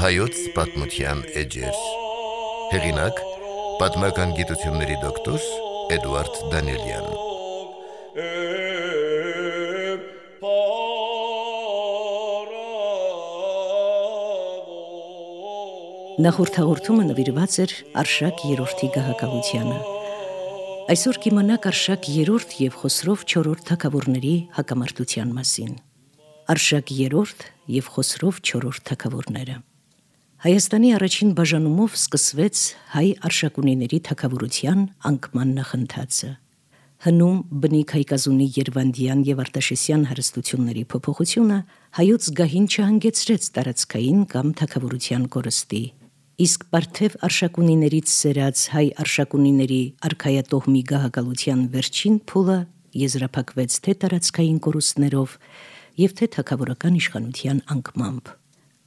Հայոց պատմության էջեր։ Հեղինակ՝ պատմական գիտությունների դոկտոր Էդուարդ Դանիելյան։ Նախորդ հաղորդումը նվիրված էր Արշակ երրորդի գահակալությանը։ Այսօր կիմանաք Արշակ երրորդ և Խոսրով չորրորդ թագավորների հակամարտության մասին։ Արշակ երրորդ և Խոսրով չորրորդ թագավորները։ Հայաստանի առաջին բաժանումով սկսվեց հայ արշակունիների թագավորության անկման նախընթացը։ Հնում, բնիկ հայկազունի Երվանդյան և Արտաշեսյան հարստությունների փոփոխությունը հայոց գահին չհանգեցրեց տարածքային կամ թագավորության կորստի, իսկ պարթև արշակունիներից սերած հայ արշակունիների արքայատոհմի գահակալության վերջին փուլը եզրափակվեց թե տարածքային կորուստներով և թե թագավորական իշխանության անկմամբ։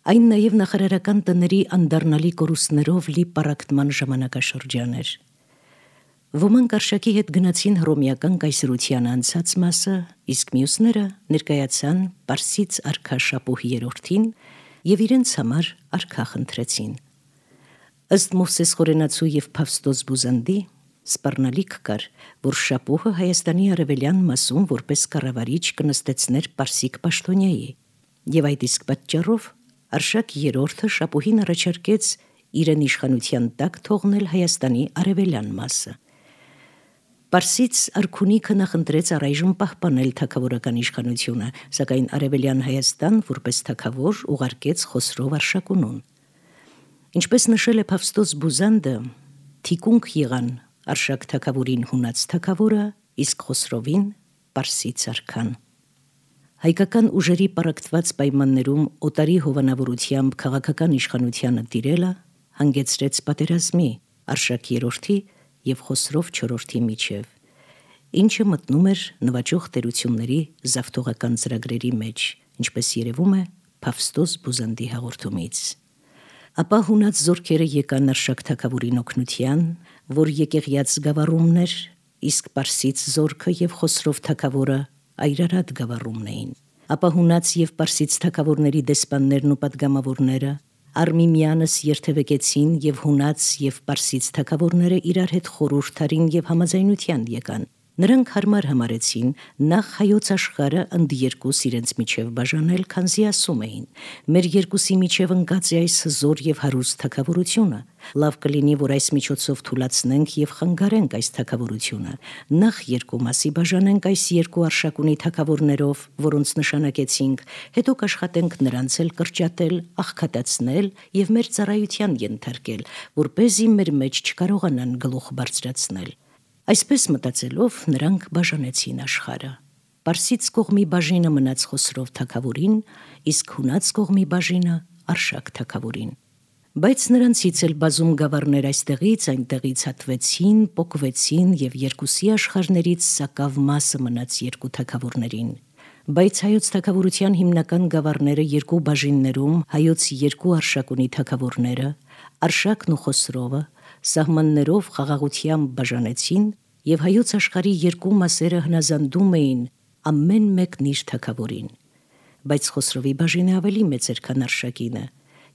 Այն նաև նախարարական տների անդառնալի կորուստներով լի պառակտման ժամանակաշրջան էր։ Ոմանք Արշակի հետ գնացին հռոմեական կայսրության անցած մասը, իսկ մյուսները ներկայացան Պարսից արքա Շապուհ երրորդին և իրենց համար արքա խնդրեցին։ Ըստ Մովսես Խորենացու և Փավստոս Բուզանդի սպառնալիք կար, որ Շապուհը Հայաստանի արևելյան մասում որպես կառավարիչ կնստեցներ պարսիկ պաշտոնյայի, և այդ իսկ պատճառով Արշակ երրորդը Շապուհին առաջարկեց իրեն իշխանության տակ թողնել Հայաստանի արևելյան մասը։ Պարսից արքունիքը նախընտրեց առայժմ պահպանել թագավորական իշխանությունը, սակայն արևելյան Հայաստան որպես թագավոր ուղարկեց Խոսրով Արշակունուն։ Ինչպես նշել է Փավստոս Բուզանդը, թիկունք եղան Արշակ թագավորին հունաց թագավորը, իսկ Խոսրովին պարսից արքան։ Հայկական ուժերի պառակտված պայմաններում օտարի հովանավորությամբ քաղաքական իշխանությանը տիրելը հանգեցրեց պատերազմի Արշակ երրորդի և Խոսրով չորրորդի միջև, ինչը մտնում էր նվաճող տերությունների զավթողական ծրագրերի մեջ, ինչպես երևում է Փավստոս Բուզանդի հաղորդումից։ Ապա հունաց զորքերը եկան Արշակ թագավորին օգնության, որ եկեղյաց գավառումն էր, իսկ պարսից զորքը և Խոսրով թագավորը Այրարատ գավառումն էին։ Ապա հունաց և պարսից թագավորների դեսպաններն ու պատգամավորները Արմիմյանս երթևեկեցին և հունաց և պարսից թագավորները իրար հետ խորհուրդ արին և համաձայնության եկան։ Նրանք հարմար համարեցին նախ հայոց աշխարհը ընդերկուս իրենց միջև բաժանել, քանզի ասում էին. մեր երկուսի միջև ընկած է այս հզոր և հարուստ թագավորությունը, լավ կլինի, որ այս միջոցով թուլացնենք և խանգարենք այս թագավորությունը, նախ երկու մասի բաժանենք այս երկու արշակունի թագավորներով, որոնց նշանակեցինք, հետո կաշխատենք նրանց էլ կրճատել, աղքատացնել և մեր ծառայության ենթարկել, որպեսզի մեր մեջ չկարողանան գլուխ բարձրացնել։ Այսպես մտածելով նրանք բաժանեցին աշխարհը։ Պարսից կողմի բաժինը մնաց Խոսրով թագավորին, իսկ հունաց կողմի բաժինը Արշակ թագավորին։ Բայց նրանցից էլ բազում գավառներ այստեղից այնտեղից հատվեցին, պոկվեցին և երկուսի աշխարհներից սակավ մասը մնաց երկու թագավորներին։ Բայց հայոց թագավորության հիմնական գավառները երկու բաժիններում հայոց երկու արշակունի թագավորները, Արշակն ու Խոսրովը, սահմաններով խաղաղությամբ բաժանեցին և հայոց աշխարհի երկու մասերը հնազանդում էին ամեն մեկն իր թագավորին։ Բայց Խոսրովի բաժինը ավելի մեծ էր, քան Արշակինը,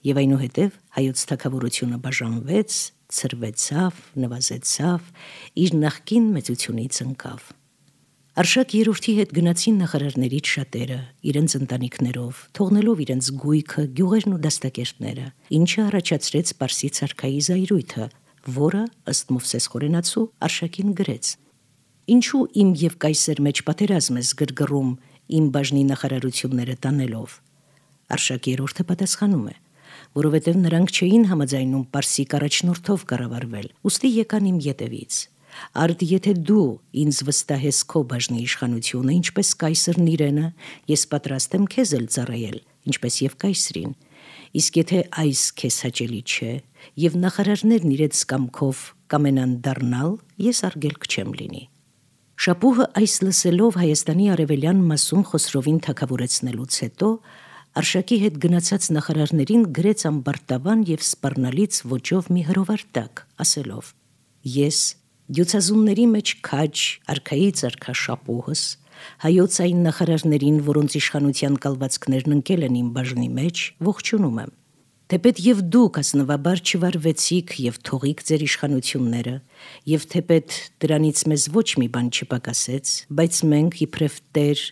և այնուհետև հայոց թագավորությունը բաժանվեց, ցրվեցավ, նվազեցավ, իր նախկին մեծությունից ընկավ։ Արշակ երրորդի հետ գնացին նախարարներից շատերը, իրենց ընտանիքներով, թողնելով իրենց գույքը, գյուղերն ու դաստակերտները, ինչը առաջացրեց պարսից արքայի զայրույթը, որը, ըստ Մովսես Խորենացու, Արշակին գրեց. «Ինչու իմ և կայսեր մեջ պատերազմ ես գրգռում իմ բաժնի նախարարությունները տանելով»։ Արշակ երրորդը պատասխանում է. «Որովհետև նրանք չէին համաձայնում պարսիկ առաջնորդով կառավարվել, ուստի եկան իմ ետևից։ Արդ եթե դու ինձ վստահես քո բաժնի իշխանությունը, ինչպես կայսրն իրենը, ես պատրաստ եմ քեզ էլ ծառայել, ինչպես և կայսրին։ Իսկ եթե այս քեզ հաճելի չէ, և նախարարներն իրենց կամքով կամենան դառնալ, ես արգելք չեմ լինի»։ Շապուհը այս լսելով Հայաստանի արևելյան մասում Խոսրովին թագավորեցնելուց հետո Արշակի հետ գնացած նախարարներին գրեց ամբարտավան և սպառնալից ոճով մի հրովարտակ, ասելով. «Ես դյուցազունների մեջ քաջ արքայից արքա Շապուհս, հայոց այն նախարարներին, որոնց իշխանության կալվածքներն ընկել են իմ բաժնի մեջ, ողջունում եմ։ Թեպետ եւ դուք ազնվաբար չվարվեցիք եւ թողիք ձեր իշխանությունները, եւ թեպետ դրանից մեզ ոչ մի բան չպակասեց, բայց մենք իբրև Տեր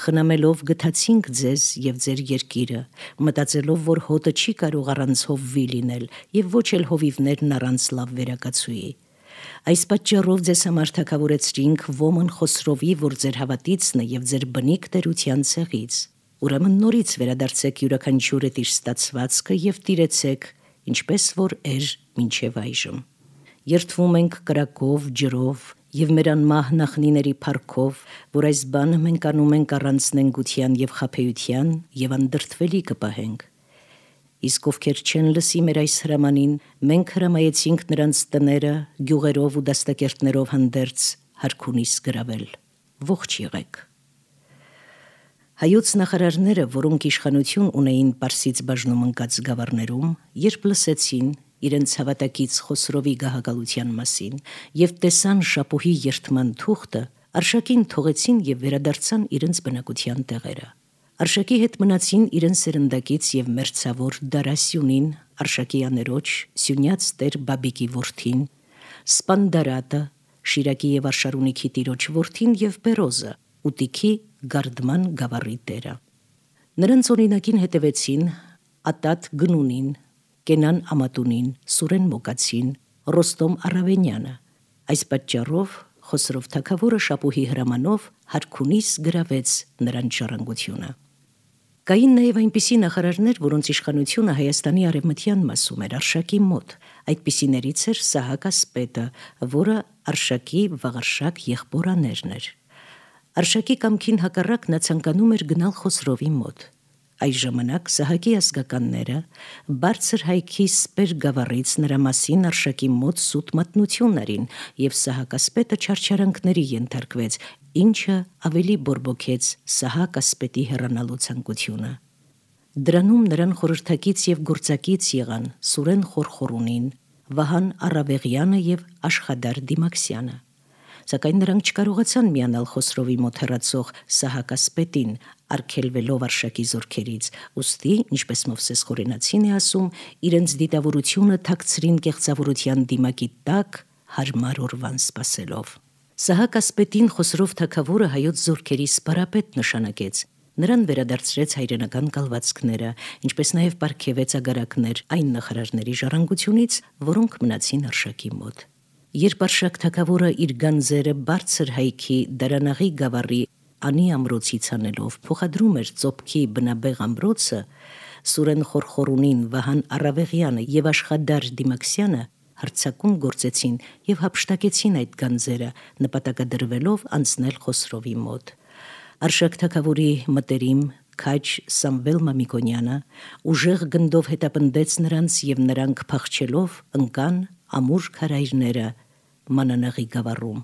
խնամելով գթացինք ձեզ եւ ձեր երկիրը, մտածելով, որ հոտը չի կարող առանց հովվի լինել եւ ոչ էլ հովիվներն առանց լավ վերակացուի։ Այս պատճառով ձեզ համար թագավորեցրինք ոմն Խոսրովի, որ ձեր հավատիցն է եւ ձեր բնիկ տերության ցեղից։ Ուրեմն նորից վերադարձեք յուրաքանչյուրը իր ստացվածքը եւ տիրեցեք, ինչպես որ էր մինչեւ այժմ։ Երթվում ենք կրակով, ջրով եւ մեր անմահ նախնիների փառքով, որ այս բանը մենք անում ենք առանց նենգության եւ խաբեության եւ անդրդվելի կպահենք։ Իսկ ովքեր չեն լսի մեր այս հրամանին, մենք հրամայեցինք նրանց տները գյուղերով ու դաստակերտներով հանդերձ հարքունիս գրավել։ Ողջ եղեք։ Հայոց նախարարները, որոնք իշխանություն ունեին Պարսից բաժնում ընկած գավառներում, երբ լսեցին իրենց հավատակից Խոսրովի գահակալության մասին եւ տեսան շապուհի երթման թուղթը, Արշակին թողեցին եւ վերադարձան իրենց բնակության տեղերը։ Արշակի հետ մնացին իրենց սերնդակից եւ մերձավոր Դարասյունին, Արշակի աներոջ, Սյունյաց Տեր Բաբիկի որդին, Սպանդարատը, Շիրակի եւ Արշարունիքի տիրոջ որդին եւ Բերոզը, Ուտիքի Գարդման գավառի տերը։ Նրանց օրինակին հետևեցին Ատատ Գնունին, Կենան Ամատունին, Սուրեն Մոկացին, Ռոստոմ Արավենյանը։ Այս պատճառով Խոսրով թագավորը շապուհի հրամանով հարքունիս գրավեց նրանց ժառանգությունը։ Կային նաև այնպիսի նախարարներ, որոնց իշխանությունը Հայաստանի արևմտյան մասում էր Արշակի մոտ։ Այդպիսիներից էր Սահակ Ասպետը, որը Արշակի Վաղարշակ եղբորաներն էր։ Արշակի կամքին հակառակ նա ցանկանում էր գնալ Խոսրովի մոտ։ Այս ժամանակ Սահակի ազգականները բարձր հայքի Սպեր գավառից նրա մասին Արշակի մոտ սուտ մատնություն արին եւ Սահակ Ասպետը չարչարանքների ենթարկվեց, ինչը ավելի բորբոքեց Սահակ Ասպետի հեռանալու ցանկությունը։ Դրանում նրան խորհրդակից եւ գործակից եղան Սուրեն Խորխորունին, Վահան Արավեղյանը եւ Աշխադար Դիմաքսյանը։ Սակայն նրանք չկարողացան միանալ Խոսրովի մոտ հեռացող Սահակ Ասպետին, արգելվելով Արշակի զորքերից, ուստի, ինչպես Մովսես Խորենացին է ասում, իրենց դիտավորությունը թաքցրին կեղծավորության դիմակի տակ հարմար օրվան սպասելով։ Սահակ Ասպետին Խոսրով թագավորը հայոց զորքերի սպարապետ նշանակեց։ Նրան վերադարձրեց հայրենական կալվածքները, ինչպես նաև պարգևեց ագարակներ այն նախարարների ժառանգությունից, որոնք մնացին Արշակի մոտ։ Երբ Արշակ թագավորը իր գանձերը բարձր հայքի Դարանաղի գավառի Անի ամրոցից անելով փոխադրում էր Ծոպքի բնաբեղ ամրոցը, Սուրեն Խորխորունին, Վահան Արավեղյանը եւ Աշխադար Դիմաքսյանը հարձակում գործեցին եւ հափշտակեցին այդ գանձերը, նպատակադրվելով անցնել Խոսրովի մոտ։ Արշակ թագավորի մտերիմ քաջ Սամվել Մամիկոնյանը ուժեղ գնդով հետապնդեց նրանց եւ նրանք փախչելով ընկան ամուր քարայրները Մանանաղի գավառում։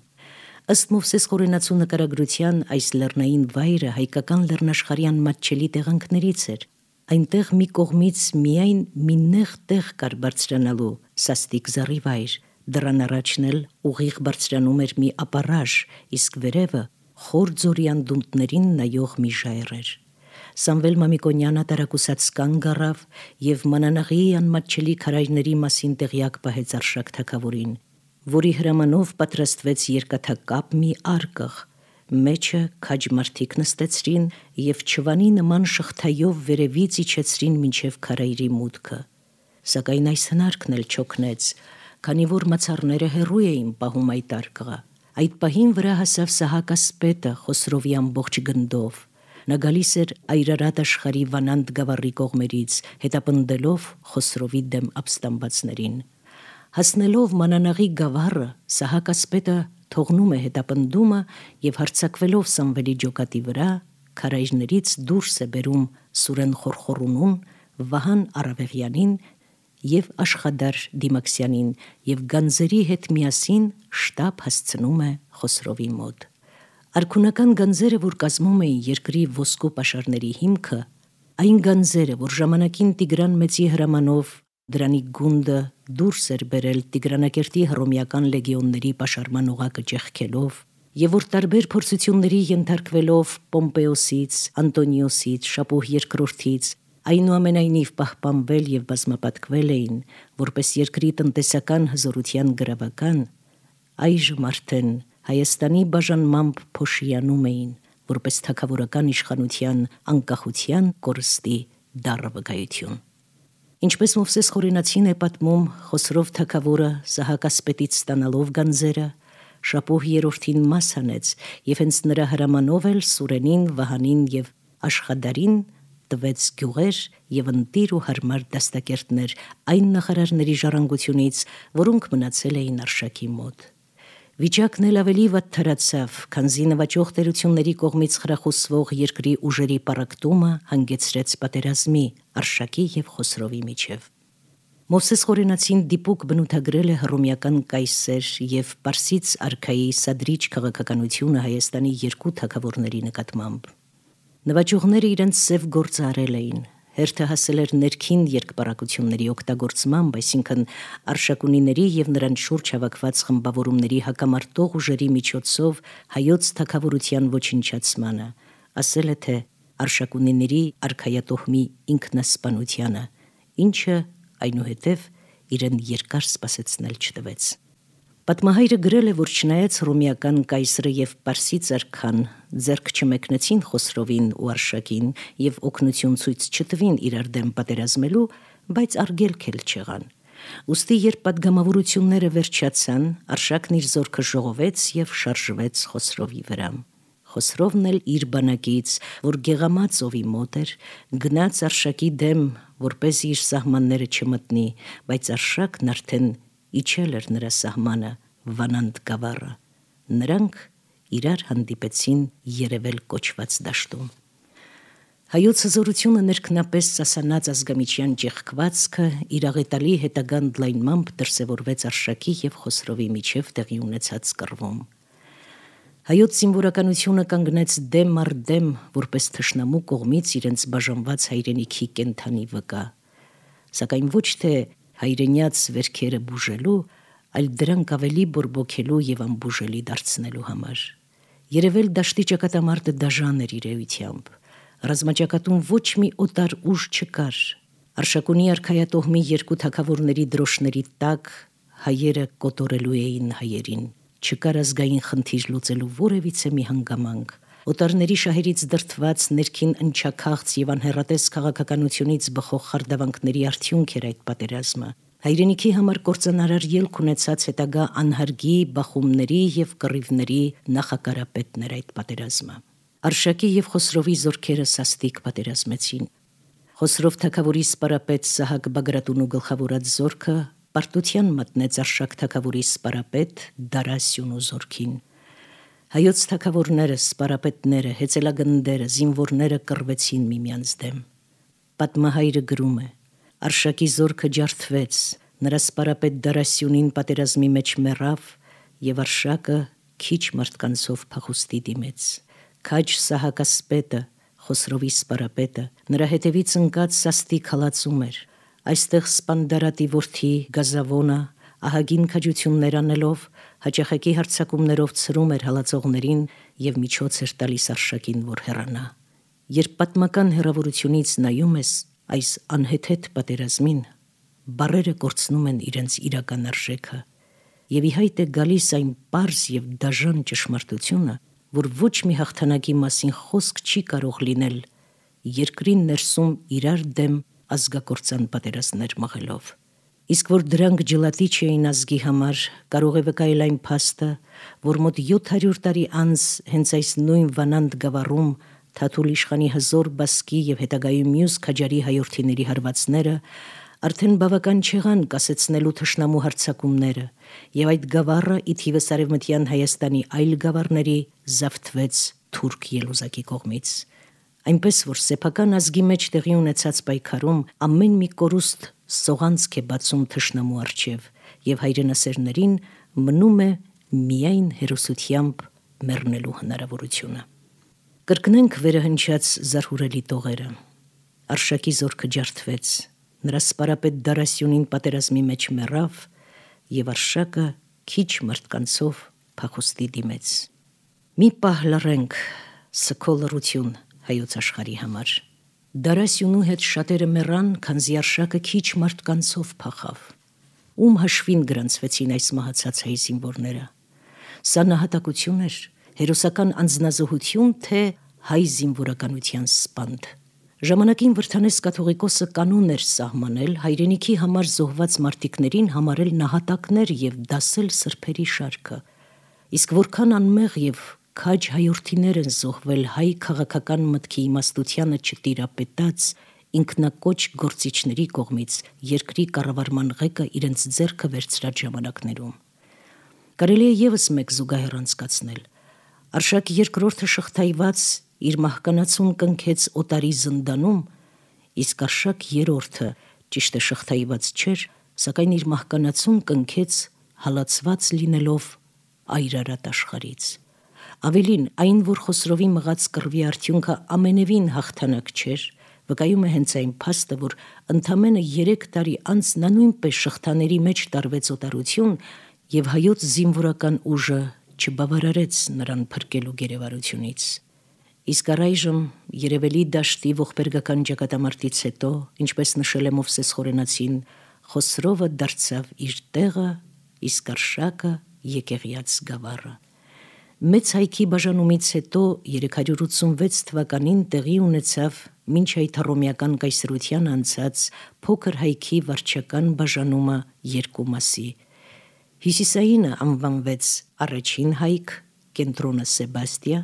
Ըստ Մովսես Խորենացու նկարագրության այս լեռնային վայրը հայկական լեռնաշխարհյան մատչելի տեղանքներից էր։ Այնտեղ մի կողմից միայն մի նեղ տեղ կար բարձրանալու սաստիկ զառիվայր, դրան առաջն էլ ուղիղ բարձրանում էր մի ապարաժ, իսկ վերևը խոր ձորի անդունդներին նայող մի ժայռ էր։ Սամվել Մամիկոնյանը տարակուսած կանգ առավ եւ Մանանաղի անմատչելի քարայրների մասին տեղյակ պահեց Արշակ թագավորին, որի հրամանով պատրաստվեց երկաթակապ մի արկղ, մեջը քաջ մարդիկ նստեցրին եւ չվանի նման շղթայով վերևից իջեցրին մինչեւ քարայրի մուտքը։ Սակայն այս հնարքն էլ չօգնեց, քանի որ մացառները հեռու էին պահում այդ արկղը։ Այդ պահին վրա հասավ Սահակ Ասպետը Խոսրովի ամբողջ գնդով։ Նա գալիս էր Այրարատ աշխարհի Վանանդ գավառի կողմերից, հետապնդելով Խոսրովի դեմ ապստամբածներին։ Հասնելով Մանանաղի գավառը, Սահակ Ասպետը թողնում է հետապնդումը եւ հարձակվելով Սամվելի ջոկատի վրա, քարայրներից դուրս է բերում Սուրեն Խորխորունուն, Վահան Արավեղյանին եւ Աշխադար Դիմաքսյանին եւ գանձերի հետ միասին շտապ հասցնում է Խոսրովի մոտ։ Արքունական գանձերը, որ կազմում էին երկրի ոսկու պաշարների հիմքը, այն գանձերը, որ ժամանակին Տիգրան Մեծի հրամանով դրանի գունդը դուրս էր բերել Տիգրանակերտի հռոմեական լեգիոնների պաշարման օղակը ճեղքելով, եւ որ տարբեր փորձությունների ենթարկվելով Պոմպեոսից, Անտոնիոսից, Շապուհ II-ից, այնուամենայնիվ պահպանվել եւ բազմապատկվել էին որպես երկրի տնտեսական հզորության գրավական, այժմ արդեն Հայաստանի բաժանմամբ փոշիանում էին որպես թագավորական իշխանության անկախության կորստի դառը վկայություն։ Ինչպես Մովսես Խորենացին է պատմում, Խոսրով թագավորը Սահակասպետից ստանալով գանձերը Շապոհ երրորդին մաս հանեց եւ հենց նրա հրամանով էլ Սուրենին, Վահանին եւ Աշխադարին տվեց գյուղեր եւ ընտիր ու հարմար դաստակերտներ այն նախարարների ժառանգությունից, որոնք մնացել էին Արշակի մոտ։ Վիճակն էլ ավելի վատթարացավ, քանզի նվաճող տերությունների կողմից խրախուսվող երկրի ուժերի պառակտումը հանգեցրեց պատերազմի Արշակի եւ Խոսրովի միջև։ Մովսես Խորենացին դիպուկ բնութագրել է հռոմեական կայսեր եւ Պարսից արքայի սադրիչ քաղաքականությունը Հայաստանի երկու թագավորների նկատմամբ։ Նվաճողները իրենց սև գործը արել էին, հերթը հասել էր ներքին երկպառակությունների օգտագործմամբ, այսինքն արշակունիների եւ նրանց շուրջ հավաքված խմբավորումների հակամարտող ուժերի միջոցով հայոց թագավորության ոչնչացմանը, ասել է թե արշակունիների արքայատոհմի ինքնասպանությանը, ինչը այնուհետև իրեն երկար սպասեցնել չտվեց։ Պատմահայրը գրել է, որ չնայած հռոմեական կայսրը եւ Պարսից արքան ձեռք չմեկնեցին Խոսրովին ու Արշակին եւ օգնություն ցույց չտվին իրար դեմ պատերազմելու, բայց արգելք էլ չեղան։ Ուստի երբ պատգամավորությունները վերջացան, Արշակն իր զորքը ժողովեց եւ շարժվեց Խոսրովի վրա։ Խոսրովն էլ իր բանակից, որ Գեղամածովի մոտ էր, գնաց Արշակի դեմ, որպեսզի իր սահմանները չմտնի, բայց Արշակն արդեն իջել էր նրա սահմանը Վանանդ գավառը։ Նրանք իրար հանդիպեցին Երևել կոչված դաշտում։ Հայոց հզորությունը ներքնապես սասանած ազգամիջյան ճեղքվածքը իր աղետալի հետագան դլայնմամբ դրսևորվեց Արշակի եւ Խոսրովի միջև տեղի ունեցած կռվում։ Հայոց զինվորականությունը կանգնեց դեմ առ դեմ, որպես թշնամու կողմից իրենց բաժանված հայրենիքի կենթանի վկա, սակայն ոչ թե հայրենյաց վերքերը բուժելու, այլ դրանք ավելի բորբոքելու եւ անբուժելի դարձնելու համար։ Երևել դաշտի ճակատամարտը դաժան էր իր էությամբ։ Ռազմաճակատում ոչ մի օտար ուժ չկար։ Արշակունի արքայատոհմի երկու թագավորների դրոշների տակ հայերը կոտորելու էին հայերին։ Չկար ազգային խնդիր լուծելու որևիցե մի հանգամանք։ Օտարների շահերից դրդված ներքին ընչաքաղց եւ անհեռատես քաղաքականությունից բխող խարդավանքների արդյունք էր այդ պատերազմը։ Հայրենիքի համար կործանարար ելք ունեցած հետագա անհարգի, բախումների եւ կռիվների նախակարապետն էր այդ պատերազմը։ Արշակի եւ Խոսրովի զորքերը սաստիկ պատերազմեցին։ Խոսրով թագավորի սպարապետ Սահակ Բագրատունու գլխավորած զորքը պարտության մատնեց Արշակ թագավորի սպարապետ Դարասյունու զորքին։ Հայոց թագավորները, սպարապետները, հեծելագնդերը, զինվորները կռվեցին միմյանց դեմ։ Պատմահայրը գրում է. Արշակի զորքը ջարդվեց, նրա սպարապետ Դարասյունին պատերազմի մեջ մեռավ եւ Արշակը քիչ մարդկանցով փախուստի դիմեց։ Քաջ Սահակասպետը, Խոսրովի սպարապետը, նրա հետևից ընկած սաստիկ հալածում էր։ Այստեղ Սպանդարատի որդի Գազավոնը ահագին քաջություններ անելով հաճախակի հարձակումներով ցրում էր հալածողներին եւ միջոց էր տալիս Արշակին, որ հեռանա։ Երբ պատմական հեռավորությունից նայում ես այս անհեթեթ պատերազմին, բառերը կորցնում են իրենց իրական արժեքը եւ ի հայտ է գալիս այն պարզ եւ դաժան ճշմարտությունը, որ ոչ մի հաղթանակի մասին խոսք չի կարող լինել երկրի ներսում իրար դեմ ազգակործան պատերազմներ մղելով։ Իսկ որ դրանք ջլատիչ էին ազգի համար, կարող է վկայել այն փաստը, որ մոտ 700 տարի անց հենց այս նույն Վանանդ գավառում Թաթուլ իշխանի հզոր բասկի եւ հետագայում մյուս քաջարի հայորդիների հարվածները արդեն բավական չեղան կասեցնելու թշնամու հարձակումները, եւ այդ գավառը ի թիվս արևմտյան Հայաստանի այլ գավառների զավթվեց թուրք ելուզակի կողմից։ Այնպես որ սեփական ազգի մեջ տեղի ունեցած պայքարում ամեն մի կորուստ սողանցք է բացում թշնամու առջև եւ հայրենասերներին մնում է միայն հերոսությամբ մեռնելու հնարավորությունը։ Կրկնենք վերահնչած զարհուրելի տողերը։ Արշակի զորքը ջարդվեց, նրա սպարապետ Դարասյունին պատերազմի մեջ մեռավ եւ Արշակը քիչ մարդկանցով փախուստի դիմեց։ Մի պահ լռենք, սքո լռություն հայոց աշխարհի համար։ Դարասյունու հետ շատերը մեռան, քանզի արշակը քիչ մարդկանցով փախավ։ Ում հաշվին գրանցվեցին այս մահացած հայ զինվորները։ Սա նահատակություն էր, հերոսական անձնազոհություն, թե հայ զինվորականության սպանդ։ Ժամանակին Վրդանես կաթողիկոսը կանոն էր սահմանել հայրենիքի համար զոհված մարտիկներին համարել նահատակներ եւ դասել սրբերի շարքը։ Իսկ որքան անմեղ եւ քաջ հայորդիներ են զոհվել հայ քաղաքական մտքի իմաստությանը չտիրապետած ինքնակոչ գործիչների կողմից երկրի կառավարման ղեկը իրենց ձեռքը վերցրած ժամանակներում։ Կարելի է եւս մեկ զուգահեռ անցկացնել։ Արշակ II շղթայված իր մահկանացուն կնքեց օտարի զնդանում, իսկ Արշակ III ճիշտ է շղթայված չէր, սակայն իր մահկանացուն կնքեց հալածված լինելով այրարատ աշխարհից։ Ավելին, այն, որ Խոսրովի մղած կռվի արդյունքը ամենևին հաղթանակ չէր, վկայում է հենց այն փաստը, որ ընդամենը 3 տարի անց նա նույնպես շղթաների մեջ տարվեց օտարություն եւ հայոց զինվորական ուժը չբավարարեց նրան փրկելու գերեվարությունից։ Իսկ առայժմ Երևելի դաշտի ողբերգական ճակատամարտից հետո, ինչպես նշել է Մովսես Խորենացին, Խոսրովը դարձավ իր տեղը, իսկ Արշակը եկեղյաց գավառը։ Մեծ հայքի բաժանումից հետո 386 թվականին տեղի ունեցավ մինչ այդ հռոմեական կայսրության անցած փոքր հայքի վարչական բաժանումը երկու մասի։ Հյուսիսայինը անվանվեց առաջին հայք, կենտրոնը Սեբաստիա,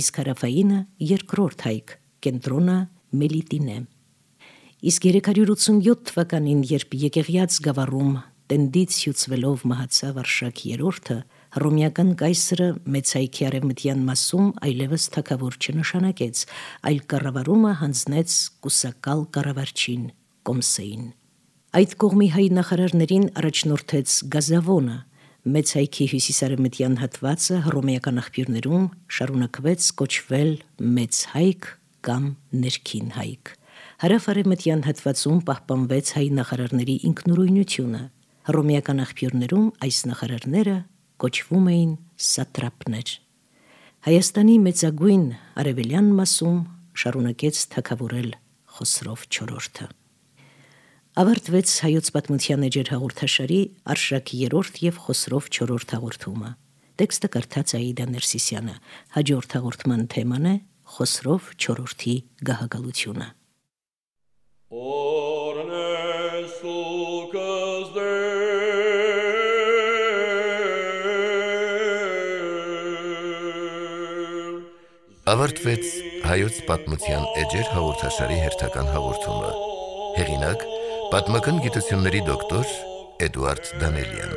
իսկ հարավայինը երկրորդ հայք, կենտրոնը Մելիտինե։ Իսկ 387 թվականին, երբ եկեղյաց գավառում տենդից հյուծվելով մահացավ Արշակ III, հռոմեական կայսրը մեծ հայքի արևմտյան մասում այլևս թագավոր չնշանակեց, այլ կառավարումը հանձնեց կուսակալ կառավարչին Կոմսեին։ Այդ կողմի հայ նախարարներին առաջնորդեց Գազավոնը, մեծ հայքի հյուսիսարևմտյան հատվածը հռոմեական աղբյուրներում շարունակվեց կոչվել Մեծ հայք կամ Ներքին հայք։ Հարավ-արևմտյան հատվածում պահպանվեց հայ նախարարների ինքնուրույնությունը։ Հռոմեական աղբյուրներում այս նախարարները կոչվում էին սատրապներ։ Հայաստանի մեծագույն արևելյան մասում շարունակեց թագավորել Խոսրով IV։ Ավարտվեց հայոց պատմության էջեր հաղորդաշարի Արշակ III եւ Խոսրով IV հաղորդումը։ Տեքստը կարդաց Աիդա Ներսիսյանը։ Հաջորդ հաղորդման թեման է Խոսրով IV-ի գահակալությունը։ Ավարտվեց հայոց պատմության էջեր հաղորդաշարի հերթական հաղորդումը։ Հեղինակ՝ պատմական գիտությունների դոկտոր Էդուարդ Դանելյան։